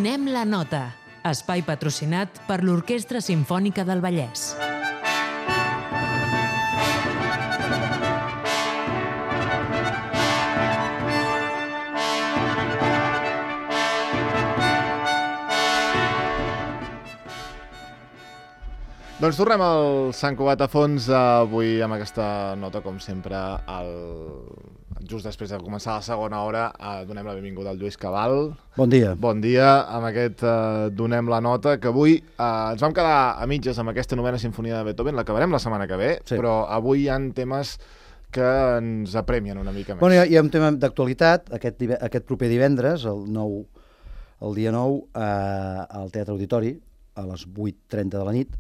Donem la nota, espai patrocinat per l'Orquestra Simfònica del Vallès. Doncs tornem al Sant Cugat a fons, avui amb aquesta nota, com sempre, just després de començar la segona hora, donem la benvinguda al Lluís Cabal. Bon dia. Bon dia, amb aquest Donem la nota, que avui ens vam quedar a mitges amb aquesta novena sinfonia de Beethoven, l'acabarem la setmana que ve, sí. Però avui hi ha temes que ens apremien una mica més. Bueno, hi ha un tema d'actualitat, aquest proper divendres, el dia 9, al Teatre Auditori, a les 8:30 de la nit,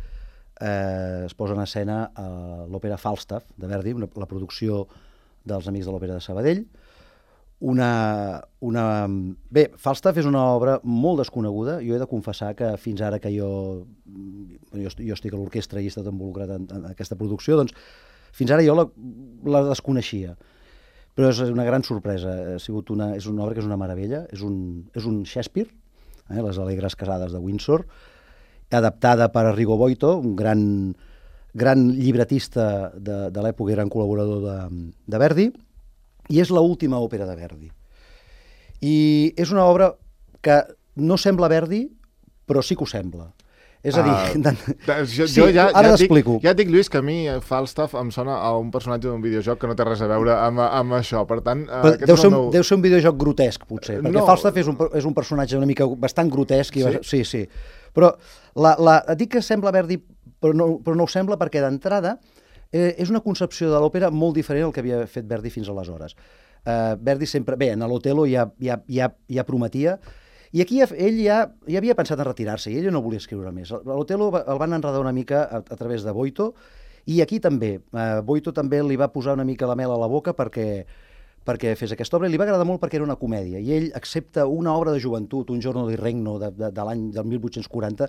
es posa en escena l'òpera Falstaff de Verdi, la producció dels Amics de l'Òpera de Sabadell. Bé, Falstaff és una obra molt desconeguda. Jo he de confessar que fins ara que jo estic a l'orquestra i he estat involucrat en aquesta producció, doncs fins ara jo la desconeixia. Però és una gran sorpresa. És una obra que és una meravella. És un Shakespeare, les Alegres Casades de Windsor, adaptada per Arrigo Boito, un gran llibretista de l'època i gran col·laborador de Verdi, i és l'última òpera de Verdi. I és una obra que no sembla Verdi, però sí que ho sembla. És a dir... Ara t'explico. Ja et dic, Lluís, que a mi Falstaff em sona a un personatge d'un videojoc que no té res a veure amb això. Per tant, deu ser un videojoc grotesc, potser, perquè Falstaff és un personatge una mica bastant grotesc. Sí. Però dic que sembla Verdi, però no ho sembla, perquè d'entrada és una concepció de l'òpera molt diferent al que havia fet Verdi fins aleshores. Verdi sempre... Bé, en l'Otello ja prometia, i aquí ell ja havia pensat en retirar-se, i ell no volia escriure més. L'Otello el van enredar una mica a través de Boito, i aquí també. Boito també li va posar una mica la mel a la boca perquè fes aquesta obra, i li va agradar molt perquè era una comèdia, i ell accepta una obra de joventut, un Giorno di Regno de l'any del 1840,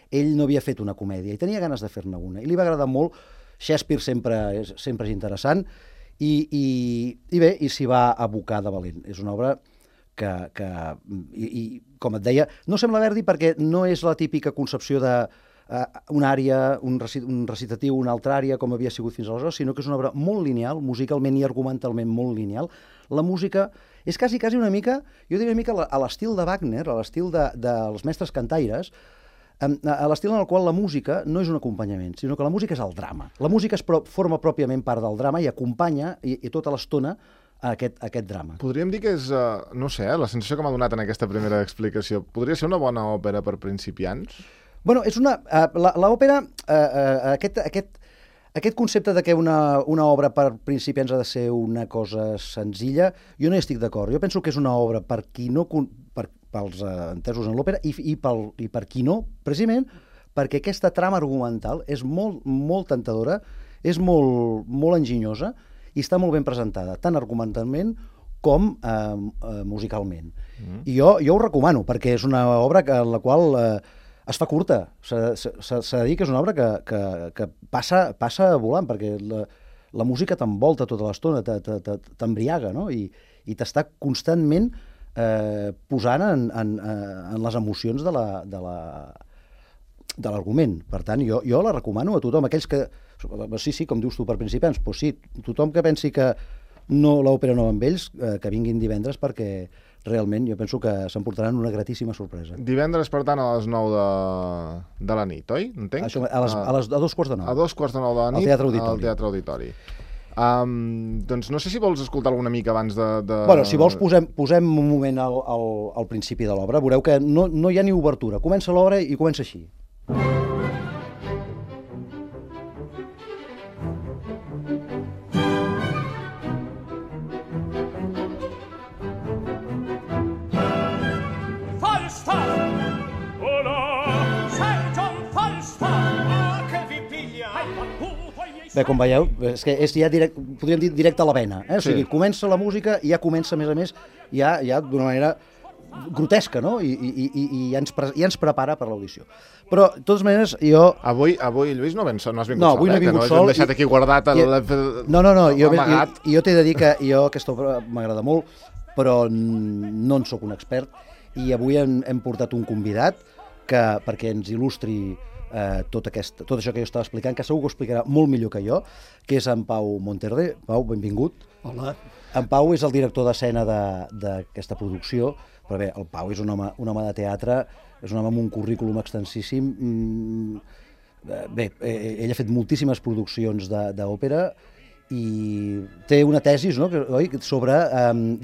ell no havia fet una comèdia, i tenia ganes de fer-ne una, i li va agradar molt. Shakespeare sempre és interessant, i bé, i s'hi va abocar de valent. És una obra que com et deia, no sembla Verdi perquè no és la típica concepció de una àrea, un recitatiu, una altra àrea, com havia sigut fins aleshores, sinó que és una obra molt lineal, musicalment i argumentalment molt lineal. La música és quasi una mica, jo diria una mica a l'estil de Wagner, a l'estil dels mestres cantaires, a l'estil en el qual la música no és un acompanyament, sinó que la música és el drama. La música forma pròpiament part del drama i acompanya i tota l'estona a aquest drama. Podríem dir que és, no sé, la sensació que m'ha donat en aquesta primera explicació, podria ser una bona òpera per principiants? Bueno, és l'òpera, aquest concepte de que una obra per principiants ha de ser una cosa senzilla, jo no hi estic d'acord. Jo penso que és una obra per qui no, pels entesos en l'òpera i per qui no, precisament perquè aquesta trama argumental és molt tentadora, és molt enginyosa i està molt ben presentada, tant argumentalment com musicalment. I jo ho recomano, perquè és una obra en la qual es fa curta. S'ha de dir que és una obra que passa volant, perquè la música t'envolta tota l'estona, t'embriaga, no? I t'està constantment posant en les emocions de l'argument. Per tant, jo la recomano a tothom. Aquells que... Sí, com dius tu, per principiants, doncs sí, tothom que pensi que l'òpera no va amb ells, que vinguin divendres, perquè realment jo penso que s'emportaran una gratíssima sorpresa. Divendres, per tant, a les 9 de la nit, oi? Entenc? Això, a 2:45. A 2:45 de la nit, al Teatre Auditori. Doncs no sé si vols escoltar alguna mica abans de... Bueno, si vols posem un moment al principi de l'obra. Veureu que no hi ha ni obertura. Comença l'obra i comença així. Bé, com veieu, és que és ja podríem dir directe a la vena. O sigui, comença la música i ja comença, a més, ja d'una manera grotesca, no? I ja ens prepara per l'audició. Però, de totes maneres, jo... Avui, Lluís, no has vingut sol, no, avui no he vingut sol. Que no deixat aquí guardat amagat. Jo t'he de dir que aquesta obra m'agrada molt, però no en sóc un expert, i avui hem portat un convidat perquè ens il·lustri tot això que jo estava explicant, que segur que ho explicarà molt millor que jo, que és en Pau Monterde. Pau, benvingut. Hola. En Pau és el director d'escena d'aquesta producció, però bé, el Pau és un home de teatre, és un home amb un currículum extensíssim. Bé, ell ha fet moltíssimes produccions d'òpera i té una tesi, no?, oi, sobre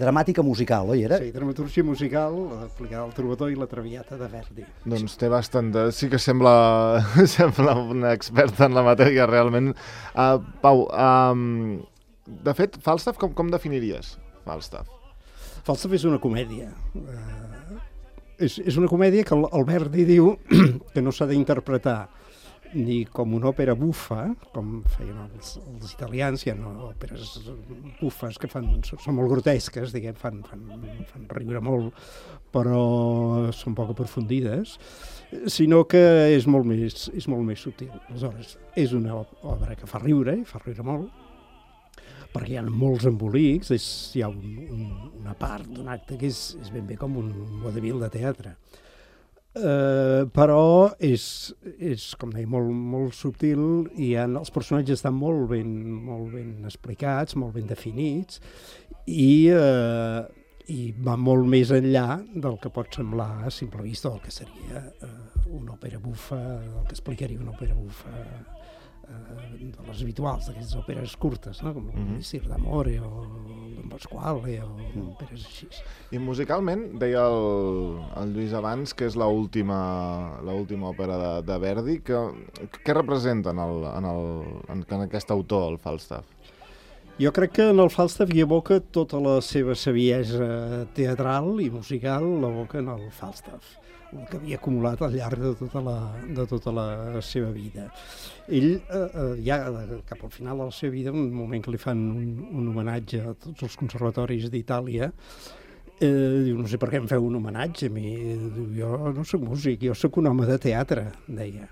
dramàtica musical, oi, era? Sí, dramaturgia musical aplicada al Trobador i la Traviata de Verdi. Doncs té bastant de... Sí que sembla un expert en la matèria, realment. Pau, de fet, Falstaff, com definiries Falstaff? Falstaff és una comèdia. És una comèdia que el Verdi diu que no s'ha d'interpretar ni com una òpera bufa, com feien els italians. Hi ha òperes bufes que són molt grotesques, diguem, fan riure molt, però són poc aprofundides, sinó que és molt més sutil. Aleshores, és una obra que fa riure, i fa riure molt, perquè hi ha molts embolics, hi ha una part d'un acte que és ben bé com un vodevil de teatre. Però és com deia, molt subtil, i els personatges estan molt ben explicats, molt ben definits, i va molt més enllà del que pot semblar a simple vista, del que seria una òpera bufa, del que explicaria una òpera bufa de les habituals, d'aquestes òperes curtes, no? Com el Missir d'Amore o Don Pasquale o òperes així. I musicalment, deia el Lluís abans, que és l'última òpera de Verdi. Què representa en aquest autor, el Falstaff? Jo crec que en el Falstaff hi evoca tota la seva saviesa teatral i musical, l'evoca en el Falstaff, el que havia acumulat al llarg de tota la seva vida. Ell, ja cap al final de la seva vida, un moment que li fan un homenatge a tots els conservatoris d'Itàlia, diu, no sé per què em feu un homenatge a mi, diu, jo no soc músic, jo soc un home de teatre, deia.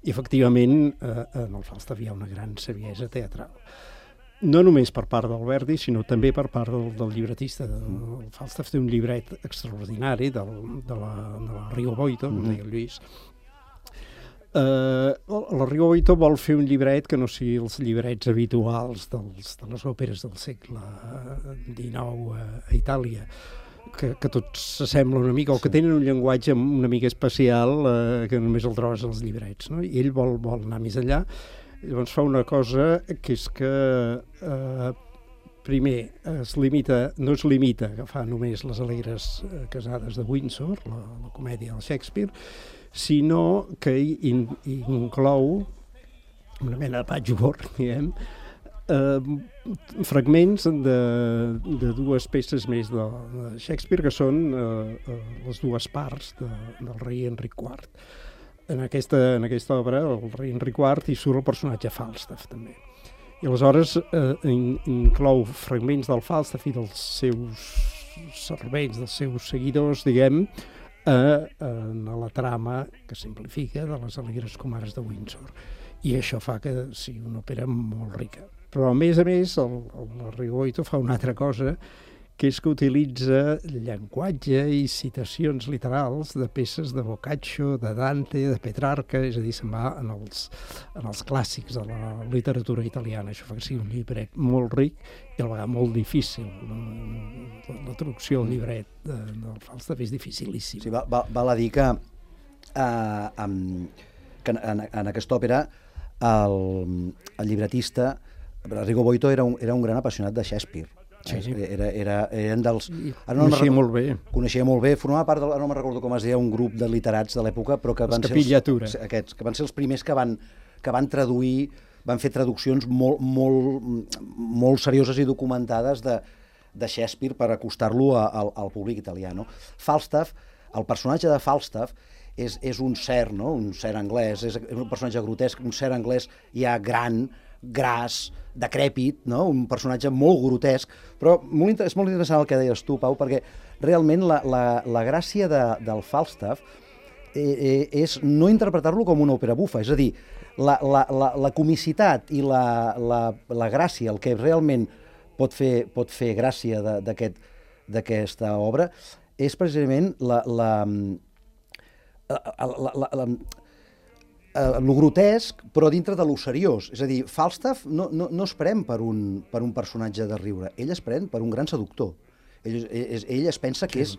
I efectivament en el Falstaff hi ha una gran saviesa teatral. No només per part del Verdi, sinó també per part del llibretista. El Falstaff té un llibret extraordinari de la Rigo Boito, com deia el Lluís. La Rigo Boito vol fer un llibret que no sigui els llibrets habituals de les òperes del segle XIX a Itàlia, que tots s'assemblen una mica, o que tenen un llenguatge una mica especial que només el trobes als llibrets, no? I ell vol anar més enllà. Llavors fa una cosa que és que primer no es limita a agafar només les alegres casades de Windsor, la comèdia del Shakespeare, sinó que inclou una mena de patchwork, diguem, fragments de dues peces més de Shakespeare, que són les dues parts del rei Enric IV. En aquesta obra, el rei Enric IV, hi surt el personatge Falstaff, també. I aleshores inclou fragments del Falstaff i dels seus servents, dels seus seguidors, diguem, en la trama que simplifica de les alegres comares de Windsor. I això fa que sigui una òpera molt rica. Però, a més, el Rigo Boito fa una altra cosa, que és que utilitza llenguatge i citacions literals de peces de Boccaccio, de Dante, de Petrarca, és a dir, se'n va en els clàssics de la literatura italiana. Això fa que sigui un llibret molt ric i a la vegada molt difícil. La traducció del llibret del Falstaff és dificilíssima. Sí, val a dir que en aquesta òpera el llibretista Rigo Boito era un gran apassionat de Shakespeare. Sí. Eren dels... Coneixia molt bé. Coneixia molt bé. Formava part, no me'n recordo com es deia, un grup de literats de l'època, però que van ser els primers que van traduir, van fer traduccions molt serioses i documentades de Shakespeare per acostar-lo al públic italià. Falstaff, el personatge de Falstaff, és un ser, no? Un ser anglès, és un personatge grotesc, un ser anglès ja gran, gras, decrèpit, no? Un personatge molt grotesc, però és molt interessant el que deies tu, Pau, perquè realment la gràcia del Falstaff és no interpretar-lo com una òpera bufa, és a dir, la comicitat i la gràcia, el que realment pot fer gràcia d'aquesta obra, és precisament lo grotesc, però dintre de lo seriós. És a dir, Falstaff no es pren per un personatge de riure, ell es pren per un gran seductor. Ell es pensa que és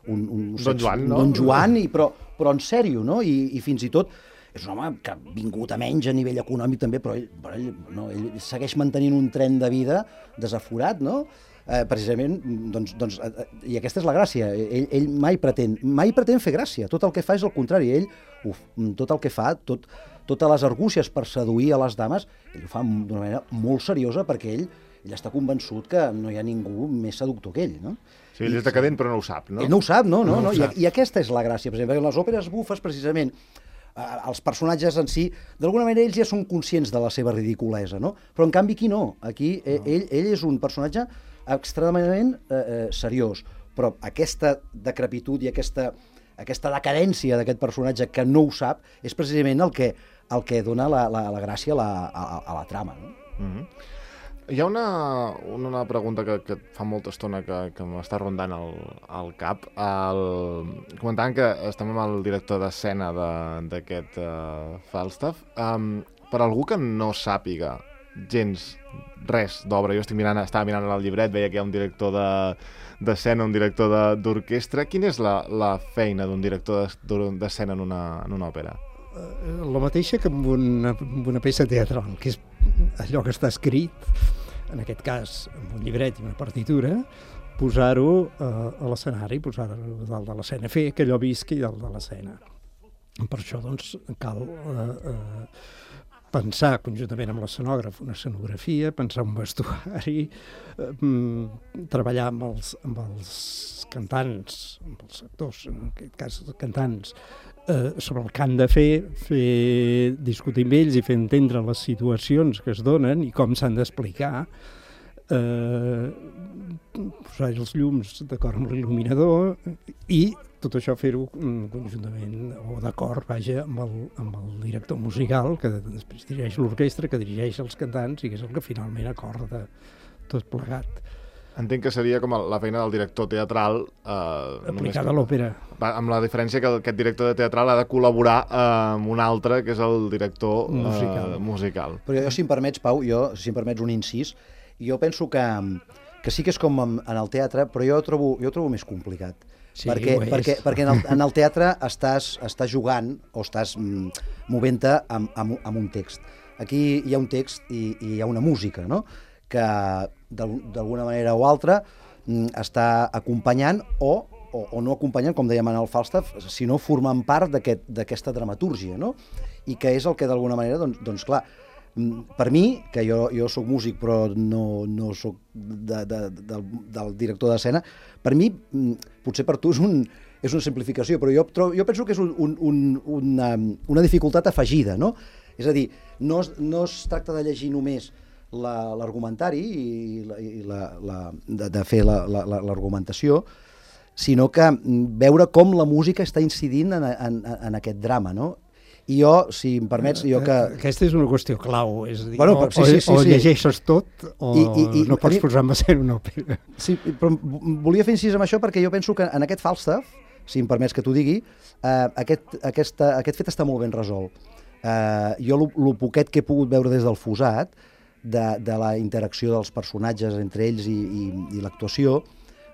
Don Joan, no? Don Joan, però en sèrio, no? I fins i tot és un home que ha vingut a menys a nivell econòmic també, però ell segueix mantenint un tren de vida desaforat, no? Precisament, doncs, i aquesta és la gràcia, ell mai pretén fer gràcia, tot el que fa és el contrari, ell tot el que fa, totes les argúcies per seduir a les dames, ell ho fa d'una manera molt seriosa perquè ell està convençut que no hi ha ningú més seductor que ell, no? Sí, ell és decadent però no ho sap, no? Ell no ho sap, no. I aquesta és la gràcia, per exemple, en les òperes bufes, precisament, els personatges en si, d'alguna manera ells ja són conscients de la seva ridiculesa, no? Però en canvi aquí no, aquí ell és un personatge extremadament seriós, però aquesta decrepitud i aquesta decadència d'aquest personatge que no ho sap és precisament el que dona la gràcia a la trama, no? Mm-hmm. Hi ha una pregunta que fa molta estona que m'està rondant al cap. Comentant que estem amb el director d'escena d'aquest Falstaff. Per algú que no sàpiga gens res d'obra, jo estava mirant el llibret, veia que hi ha un director d'escena, un director d'orquestra. Quina és la feina d'un director d'escena en una òpera? La mateixa que amb una peça teatral, que és allò que està escrit, en aquest cas amb un llibret i una partitura, posar-ho a l'escenari, posar-ho dalt de l'escena, fer que allò visqui dalt de l'escena. Per això, doncs, cal pensar conjuntament amb l'escenògraf una escenografia, pensar un vestuari, treballar amb els cantants, amb els actors, en aquest cas cantants, sobre el que han de fer discutir amb ells i fer entendre les situacions que es donen i com s'han d'explicar, posar els llums d'acord amb l'il·luminador i tot això fer-ho conjuntament o d'acord, vaja, amb el director musical que després dirigeix l'orquestra, que dirigeix els cantants i que és el que finalment acorda tot plegat. Entenc que seria com la feina del director teatral aplicada a l'òpera. Amb la diferència que aquest director de teatral ha de col·laborar amb un altre, que és el director musical. Però jo, si em permets, Pau, si em permets un incís, jo penso que sí que és com en el teatre, però jo ho trobo més complicat. Sí, perquè en el teatre estàs jugant o estàs movent-te amb un text. Aquí hi ha un text i hi ha una música, no?, que d'alguna manera o altra està acompanyant o no acompanyant, com dèiem en el Falstaff, sinó formant part d'aquesta dramatúrgia, no? I que és el que d'alguna manera, doncs clar, per mi, que jo soc músic però no soc del director d'escena, per mi, potser per tu és una simplificació, però jo penso que és una dificultat afegida, no? És a dir, no es tracta de llegir només l'argumentari i de fer l'argumentació, sinó que veure com la música està incidint en aquest drama, no? I jo, si em permets, Aquesta és una qüestió clau, és a dir, o llegeixes tot o no pots posar en escena una òpera. Sí, però volia fer incís amb això perquè jo penso que en aquest Falstaff, si em permets que t'ho digui, aquest fet està molt ben resolt. Jo el poquet que he pogut veure des del Fusat, de la interacció dels personatges entre ells i l'actuació,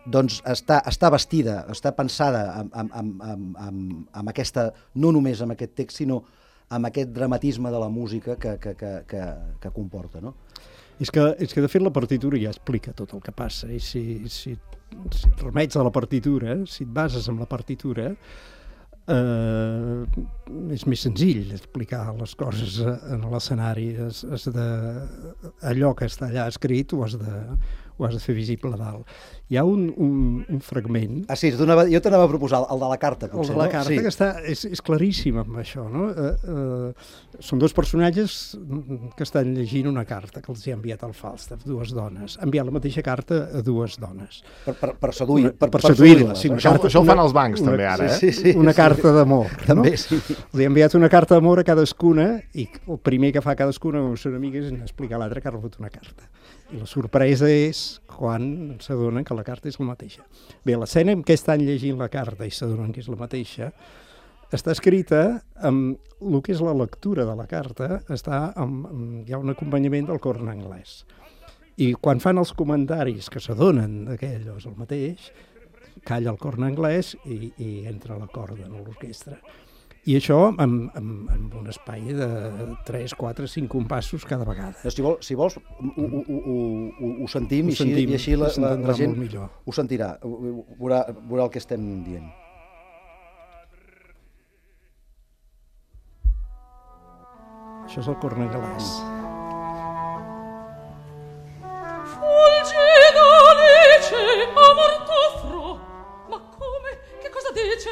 doncs està vestida, està pensada amb aquesta, no només amb aquest text, sinó amb aquest dramatisme de la música que comporta, no? És que de fet la partitura ja explica tot el que passa, i si et remets a la partitura, si et bases en la partitura, és més senzill explicar les coses en l'escenari. Allò que està allà escrit ho has de fer visible a dalt. Hi ha un fragment... Ah, sí, jo t'anava a proposar el de la carta, potser, no? El de la carta, que és claríssim amb això, no? Són dos personatges que estan llegint una carta que els ha enviat el Falstaff, dues dones. Ha enviat la mateixa carta a dues dones. Per seduir-les. Sí, això ho fan els bancs, també, ara, eh? Sí. Una carta d'amor. També, sí. Li ha enviat una carta d'amor a cadascuna i el primer que fa cadascuna amb les seves amigues és explicar a l'altre que ha rebut una carta. I la sorpresa és quan s'adonen que la carta és la mateixa. Bé, l'escena en què estan llegint la carta i s'adonen que és la mateixa està escrita amb el que és la lectura de la carta, hi ha un acompanyament del cor en anglès. I quan fan els comentaris que s'adonen que allò és el mateix, calla el cor en anglès i entra la corda en l'orquestra. I això amb un espai de 3, 4, 5 compassos cada vegada. Si vols, ho sentim i així la gent ho sentirà, veurà el que estem dient. Això és el cor en anglès. Fulgida Alice, amor t'offro. Ma come? Che cosa dice?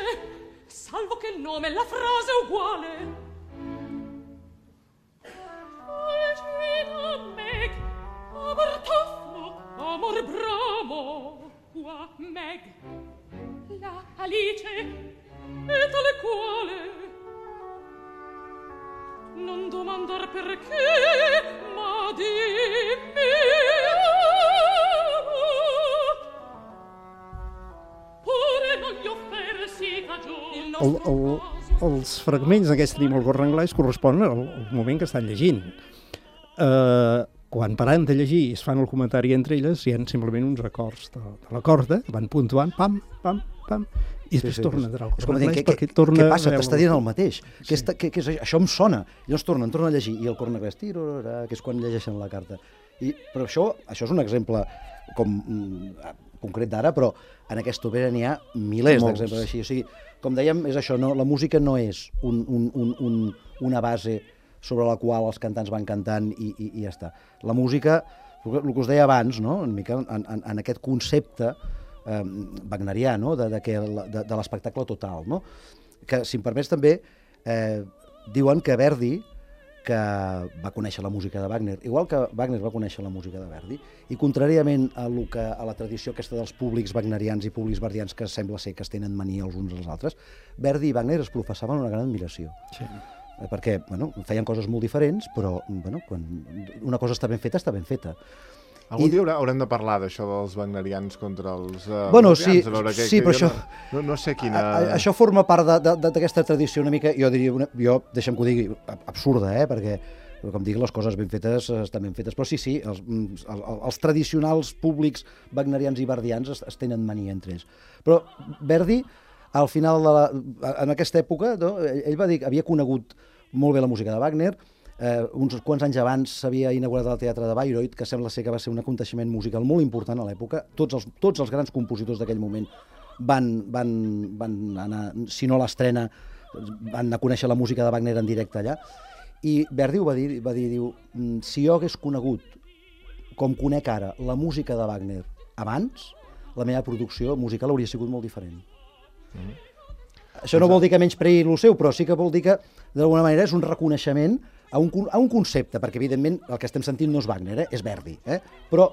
Salvo che il nome e la frase è uguale. Fulgida Meg, amor t'offro, amor bramo. Qua Meg, la Alice, e tale quale. Non domandar perché, ma dimmi. Pure non gli offersi cagione il nostro caso. Els fragments d'aquest tenim al cor en anglès corresponen al moment que estan llegint. Quan paren de llegir i es fan el comentari entre elles, hi ha simplement uns acords de la corda, van puntuant, pam, pam, pam, i després torna a entrar al cor en anglès perquè torna... Què passa? T'està dient el mateix. Això em sona. Llavors torna a llegir, i el cor en anglès, que és quan llegeixen la carta. Però això és un exemple concret d'ara, però en aquesta òpera n'hi ha milers d'exemples així. O sigui, com dèiem, és això, la música no és una base sobre la qual els cantants van cantant i ja està. La música, el que us deia abans, no? Una mica en aquest concepte wagnerià, no? de l'espectacle total, no? Que, si em permets també, diuen que Verdi, que va conèixer la música de Wagner, igual que Wagner va conèixer la música de Verdi, i contràriament a la tradició aquesta dels públics wagnerians i públics verdians que sembla ser que es tenen mania els uns als altres, Verdi i Wagner es professaven una gran admiració. Sí. Perquè feien coses molt diferents, però quan una cosa està ben feta, està ben feta. Algun dia haurem de parlar d'això dels wagnerians contra els sí, però això... No sé quina... Això forma part d'aquesta tradició una mica, jo diria, deixa'm que ho digui, absurda, perquè, com dic, les coses ben fetes estan ben fetes, però sí, els tradicionals públics wagnerians i verdians es tenen mania entre ells. Però Verdi, al final, en aquesta època, ell va dir que havia conegut molt bé la música de Wagner, uns quants anys abans s'havia inaugurat el teatre de Bayreuth, que sembla ser que va ser un aconteixement musical molt important a l'època. Tots els grans compositors d'aquell moment van anar, si no a l'estrena, van anar a conèixer la música de Wagner en directe allà. I Verdi va dir, si jo hagués conegut, com conec ara, la música de Wagner abans, la meva producció musical hauria sigut molt diferent. Això no vol dir que menyspreï el seu, però sí que vol dir que, d'alguna manera, és un reconeixement a un concepte, perquè, evidentment, el que estem sentint no és Wagner, és Verdi, però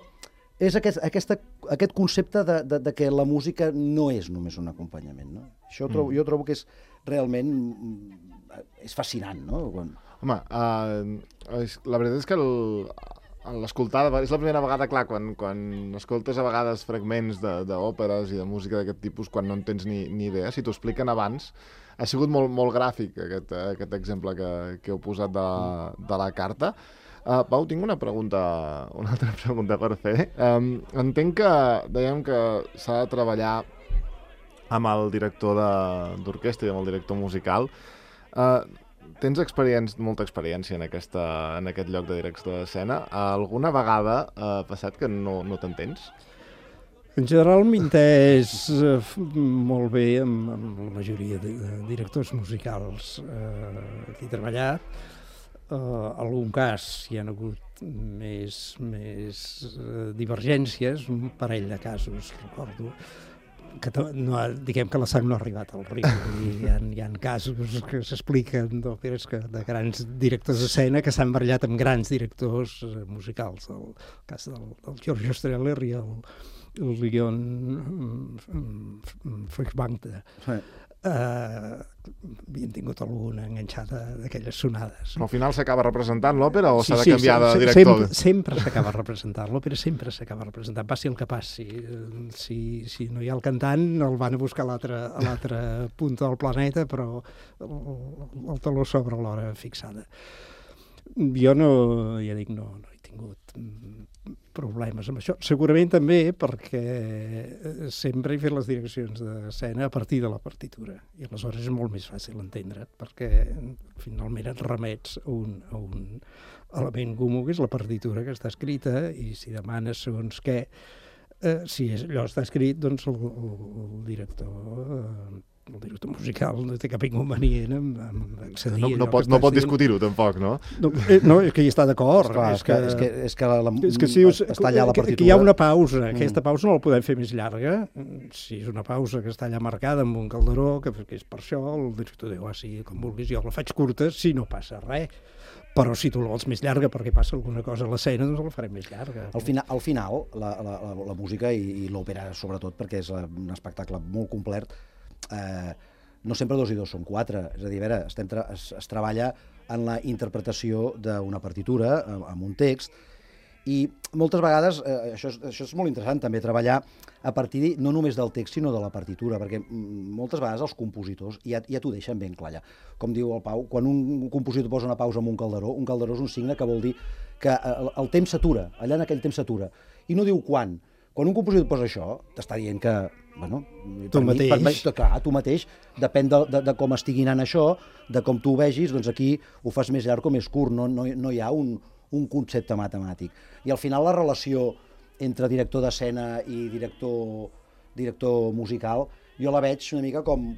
és aquest concepte de que la música no és només un acompanyament, no? Això jo trobo que és realment fascinant, no? Home, la veritat és que l'escoltada, és la primera vegada, clar, quan escoltes a vegades fragments d'òperes i de música d'aquest tipus, quan no en tens ni idea, si t'ho expliquen abans, ha sigut molt gràfic aquest exemple que heu posat de la carta. Pau, tinc una altra pregunta per fer. Entenc que dèiem que s'ha de treballar amb el director d'orquestra i amb el director musical. Tens molta experiència en aquest lloc de direcció d'escena. Alguna vegada ha passat que no t'entens? En general m'he entès molt bé amb la majoria de directors musicals que he treballat. En algun cas hi ha hagut més divergències, un parell de casos, recordo, que diguem que la sang no ha arribat al riu. Hi ha casos que s'expliquen d'òperes de grans directors d'escena que s'han barallat amb grans directors musicals. El cas del George Streller i el Leon Feuchtwanger. havien tingut alguna enganxada d'aquelles sonades. Però al final s'acaba representant l'òpera o s'ha de canviar de director? Sempre s'acaba representant. L'òpera sempre s'acaba representant, passi el que passi. Si no hi ha el cantant, el van a buscar a l'altra punta del planeta, però el taló sobre l'hora fixada. Jo no he tingut problemes amb això. Segurament també perquè sempre he fet les direccions d'escena a partir de la partitura i aleshores és molt més fàcil entendre't perquè finalment et remets a un element comú que és la partitura que està escrita i si demanes segons què si allò està escrit doncs el director musical no té cap inconvenient amb accedir... No pot discutir-ho, tampoc, no? No, és que hi està d'acord. És que està allà la partitura. Que hi ha una pausa. Aquesta pausa no la podem fer més llarga. Si és una pausa que està allà marcada amb un calderó, que és per això, el director diu, sí, com vulguis, jo la faig curta, si no passa res. Però si tu la vols més llarga perquè passa alguna cosa a l'escena, doncs la farem més llarga. Al final, la música i l'òpera, sobretot, perquè és un espectacle molt complet, no sempre 2 i 2 són 4, és a dir, a veure, es treballa en la interpretació d'una partitura, amb un text, i moltes vegades, això és molt interessant també, treballar a partir no només del text, sinó de la partitura, perquè moltes vegades els compositors ja t'ho deixen ben clar. Com diu el Pau, quan un compositor posa una pausa amb un calderó és un signe que vol dir que el temps s'atura, allà en aquell temps s'atura, i no diu quan. Quan un compositor posa això, t'està dient que, bueno, tu mateix, depèn de com estigui anant això, de com tu ho vegis, doncs aquí ho fas més llarg o més curt, no hi ha un concepte matemàtic. I al final la relació entre director d'escena i director musical, jo la veig una mica com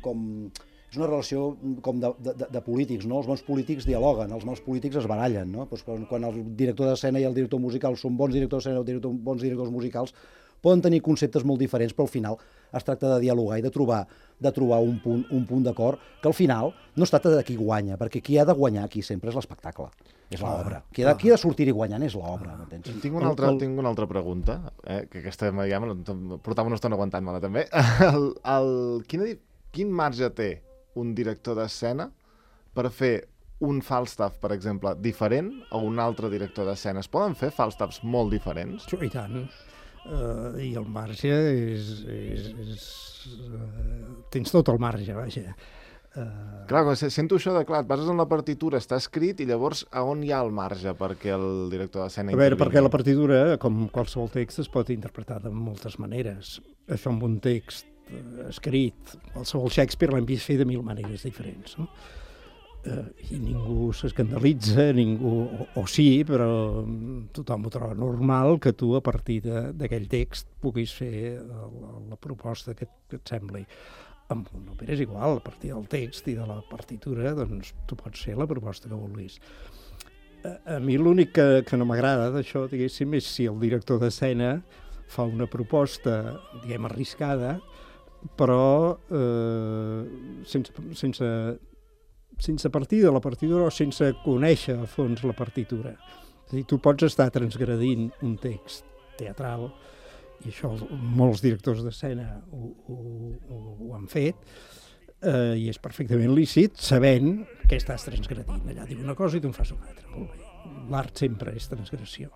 és una relació com de polítics, no? Els bons polítics dialoguen, els mals polítics es barallen, no? Doncs quan el director d'escena i el director musical són bons directors d'escena o bons directors musicals, poden tenir conceptes molt diferents, però al final es tracta de dialogar i de trobar un punt d'acord, que al final no es tracta de qui guanya, perquè qui ha de guanyar aquí sempre és l'espectacle, és l'obra. Qui ha de sortir-hi guanyant és l'obra. Tinc una altra pregunta, que aquesta ja portava una estona aguantant-me-la també. Quin marge té un director d'escena per fer un Falstaff, per exemple, diferent a un altre director d'escena? Es poden fer Falstaffs molt diferents? I tant. I el marge tens tot el marge, vaja. Clar, sento això de, et bases en la partitura, està escrit, i llavors a on hi ha el marge perquè el director d'escena intervingui? A veure, perquè la partitura, com qualsevol text, es pot interpretar de moltes maneres. Això amb un text escrit, qualsevol Shakespeare l'hem vist fer de 1000 maneres diferents, no? I ningú s'escandalitza, o sí, però tothom ho troba normal que tu a partir d'aquell text puguis fer la proposta que et sembli. Amb una òpera és igual, a partir del text i de la partitura, doncs tu pots fer la proposta que vulguis. A mi l'únic que no m'agrada d'això, diguéssim, és si el director d'escena fa una proposta, diguem, arriscada, però sense partir de la partitura o sense conèixer a fons la partitura. És a dir, tu pots estar transgredint un text teatral, i això molts directors d'escena ho han fet, i és perfectament lícit, sabent que estàs transgredint. Allà diu una cosa i tu en fas una altra. Molt bé. L'art sempre és transgressió.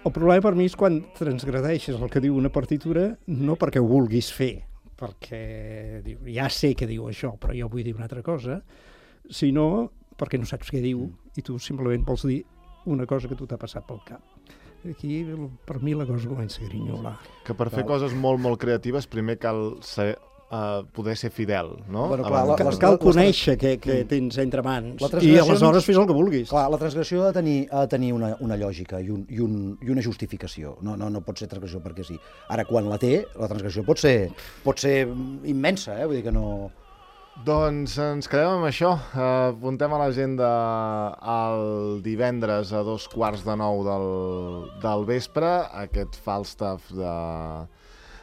El problema per mi és quan transgredeixes el que diu una partitura no perquè ho vulguis fer, perquè ja sé que diu això, però jo vull dir una altra cosa, sinó perquè no saps què diu i tu simplement vols dir una cosa que tu t'ha passat pel cap. Aquí, per mi, la cosa comença a grinyolar. Que per fer coses molt, molt creatives primer cal poder ser fidel, no? Bueno, clar, cal conèixer què tens entre mans i aleshores fes el que vulguis. Clar, la transgressió ha de tenir una lògica i una justificació. No pot ser transgressió perquè sí. Ara, quan la té, la transgressió pot ser immensa, vull dir que no... Doncs ens quedem amb això. Apuntem a l'agenda el divendres a 2:15 del vespre, aquest Falstaff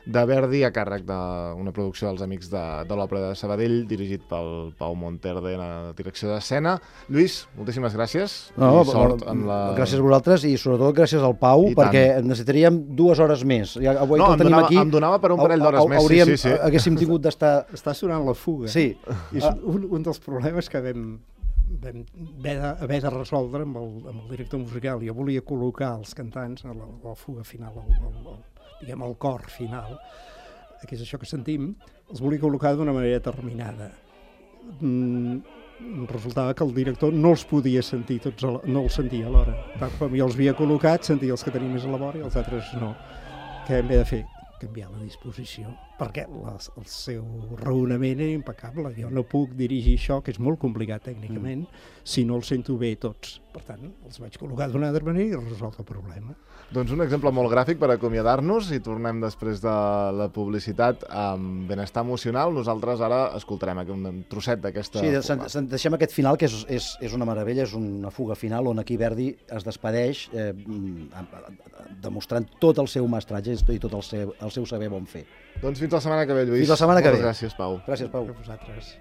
de Verdi, a càrrec d'una producció dels Amics de l'Òpera de Sabadell, dirigit pel Pau Monterde en la direcció d'escena. Lluís, moltíssimes gràcies. No, I sort en la... Gràcies a vosaltres i sobretot gràcies al Pau, perquè necessitaríem 2 hores més. Ja, avui no, que el tenim aquí, em donava per un parell d'hores més. Sí. Haguéssim tingut d'estar... Està sonant la fuga. Sí. És un dels problemes que vam haver de resoldre amb el director musical. Jo volia col·locar els cantants a la fuga final, diguem, el cor final, que és això que sentim, els volia col·locar d'una manera determinada. Resultava que el director no els podia sentir tots, no els sentia alhora. Com jo els havia col·locat, sentia els que tenia més a la vora i els altres no. Què hem de fer? Canviar la disposició, perquè el seu raonament era impecable. Jo no puc dirigir això, que és molt complicat tècnicament, si no els sento bé tots. Per tant, els vaig col·locar d'una altra manera i resolt el problema. Doncs un exemple molt gràfic per acomiadar-nos i tornem després de la publicitat amb benestar emocional. Nosaltres ara escoltarem un trosset d'aquesta... Sí, deixem aquest final, que és una meravella, és una fuga final on aquí Verdi es despedeix demostrant tot el seu mestratge i tot el seu saber bon fer. Doncs fins la setmana que ve, Lluís. Fins la setmana que ve. Gràcies, Pau. Gràcies, Pau. A vosaltres.